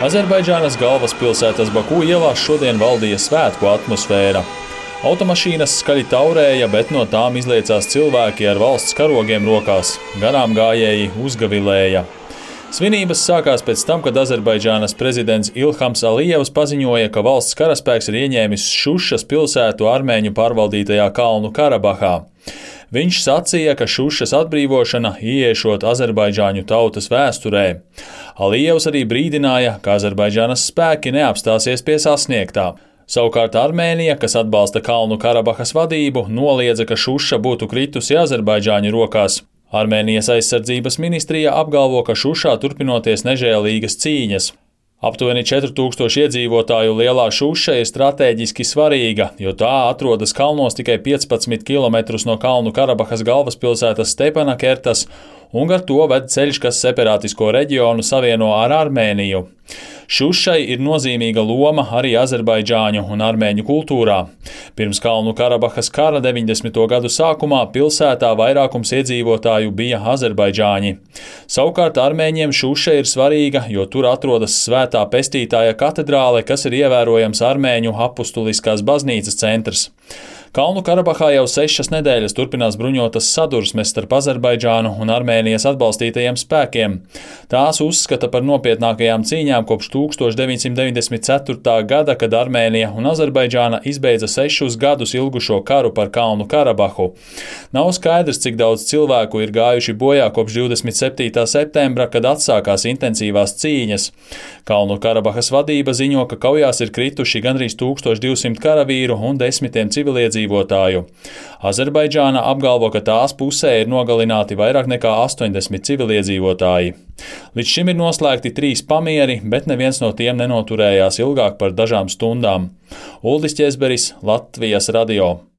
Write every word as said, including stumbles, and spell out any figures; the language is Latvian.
Azerbaidžānas galvaspilsētas Baku ielās šodien valdīja svētku atmosfēra. Automašīnas skaļi taurēja, bet no tām izliecās cilvēki ar valsts karogiem rokās. Garām gājēji uzgavilēja. Svinības sākās pēc tam, kad Azerbaidžānas prezidents Ilhams Alijevs paziņoja, ka valsts karaspēks ir ieņēmis Šušas pilsētu armēņu pārvaldītajā Kalnu Karabahā. Viņš sacīja, ka Šušas atbrīvošana ieiešot azerbaidžāņu tautas vēsturē. Alijevs arī brīdināja, ka Azerbaidžānas spēki neapstāsies pie sasniegtā. Savukārt Armēnija, kas atbalsta Kalnu Karabahas vadību, noliedza, ka Šuša būtu kritusi Azerbaidžāņu rokās. Armēnijas aizsardzības ministrija apgalvo, ka Šušā turpinoties nežēlīgas cīņas. Aptuveni četri tūkstoši iedzīvotāju lielā Šuša ir stratēģiski svarīga, jo tā atrodas kalnos tikai piecpadsmit kilometrus no Kalnu Karabahas galvaspilsētas Stepanakertas, un ar to ved ceļš, kas separātisko reģionu savieno ar Armēniju. Šušai ir nozīmīga loma arī azerbaidžāņu un armēņu kultūrā. Pirms Kalnu Karabahas kara deviņdesmito gadu sākumā pilsētā vairākums iedzīvotāju bija azerbaidžāņi. Savukārt armēņiem Šuša ir svarīga, jo tur atrodas Svētā Pestītāja katedrāle, kas ir ievērojams armēņu apustuliskās baznīcas centrs. Kalnu Karabahā jau sešas nedēļas turpinās bruņotas sadursmes starp Azerbaidžānu un Armēnijas atbalstītajiem spēkiem. Tās uzskata par nopietnākajām cīņām kopš tūkstoš deviņsimt deviņdesmit ceturtā gada, kad Armēnija un Azerbaidžāna izbeidza sešus gadus ilgušo karu par Kalnu Karabahu. Nav skaidrs, cik daudz cilvēku ir gājuši bojā kopš divdesmit septītā septembra, kad atsākās intensīvās cīņas. Kalnu Karabahas vadība ziņo, ka kaujās ir krituši gandrīz tūkstoš divsimt karavīru un desmitiem civiliedzīvotāju. Azerbaidžāna apgalvo, ka tās pusē ir nogalināti vairāk nekā astoņdesmit civiliedzīvotāji. Līdz šim ir noslēgti trīs pamieri, bet neviens no tiem nenoturējās ilgāk par dažām stundām. Uldis Ķezberis, Latvijas radio.